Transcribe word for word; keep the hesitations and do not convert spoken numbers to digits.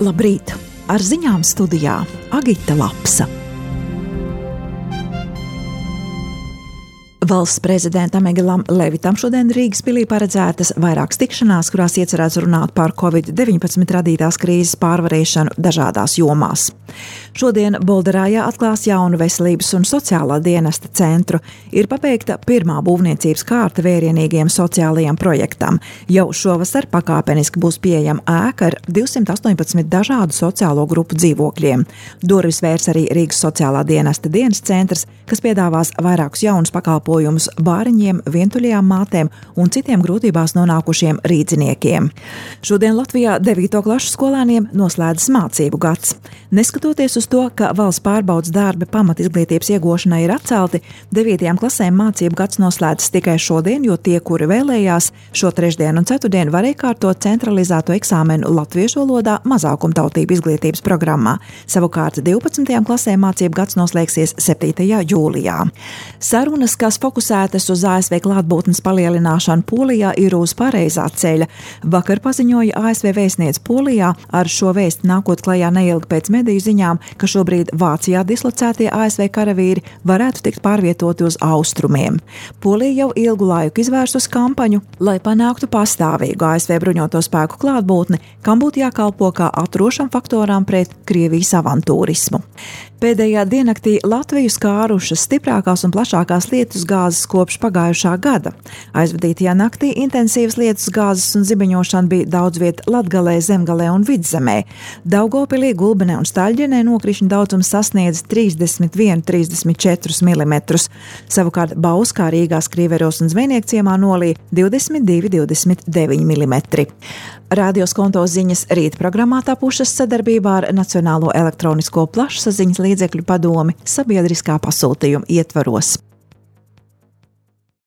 Labrīt! Ar ziņām studijā Agita Lapsa. Valsts prezidentam Egilam Levitam šodien Rīgas pilī paredzētas vairākas tikšanās, kurās iecerēts runāt par covid deviņpadsmit radītās krīzes pārvarēšanu dažādās jomās. Šodien Bolderājā atklās jaunu veselības un sociālā dienesta centru. Ir pabeigta pirmā būvniecības kārta vērienīgiem sociālajiem projektam. Jau šovasar pakāpeniski būs pieejama ēka ar divsimt astoņpadsmit dažādu sociālo grupu dzīvokļiem. Durvis vērs arī Rīgas sociālā dienesta dienas centrs, kas piedāvās vairākus jaunus pakalpojumus bāriņiem, vientuļajām mātēm un citiem grūtībās nonākušiem rīdziniekiem. Šodien Latvijā devīto klašu skolēniem noslēdzas mācību gads. Neskatoties uz to, ka valsts pārbaudes darbi pamatizglītības iegūšanai ir atcelti, devītajām klasēm mācību gads noslēdzas tikai šodien, jo tie, kuri vēlējās, šo trešdienu un ceturtdienu varēja kārtot centralizēto eksāmenu latviešu valodā mazākumtautību izglītības programmā. Savukārt divpadsmitajām klasēm mācību gads noslēgsies septītajā jūlijā. Sarunas, kas fokusētas uz A S V klātbūtnes palielināšanu Polijā, ir uz pareizā ceļa. Vakar paziņoja A S V vēstniece Polijā, ar šo vēsti nākot klajā neilgi pēc mediju ziņām, ka šobrīd Vācijā dislocētie A S V karavīri varētu tikt pārvietoti uz austrumiem. Polija jau ilgu laiku izvērsus kampaņu, lai panāktu pastāvīgu A S V bruņoto spēku klātbūtni, kam būtu jākalpo kā atrošam faktoram pret Krievijas avantūrismu. Pēdējā diennaktī Latviju skārušas stiprākās un plašākās lietusgāzes kopš pagājušā gada. Aizvadītajā naktī intensīvas lietusgāzes un zibeņošana bija daudz viet Latgalē, Zemgalē un Vidzemē. Daugavpilī, Gulbenē un Staļģenē nokrišņu daudzums sasniedz trīsdesmit viens līdz trīsdesmit četri milimetrus. Savukārt Bauskā, Rīgā, Skrīveros un Zvejniekciemā nolīja divdesmit divi līdz divdesmit deviņi milimetri. Radio Skonto ziņas rīt programmā tapušas sadarbībā ar Nacionālo elektronisko plašsaziņas līdzekļu padomi sabiedriskā pasūtījuma ietvaros.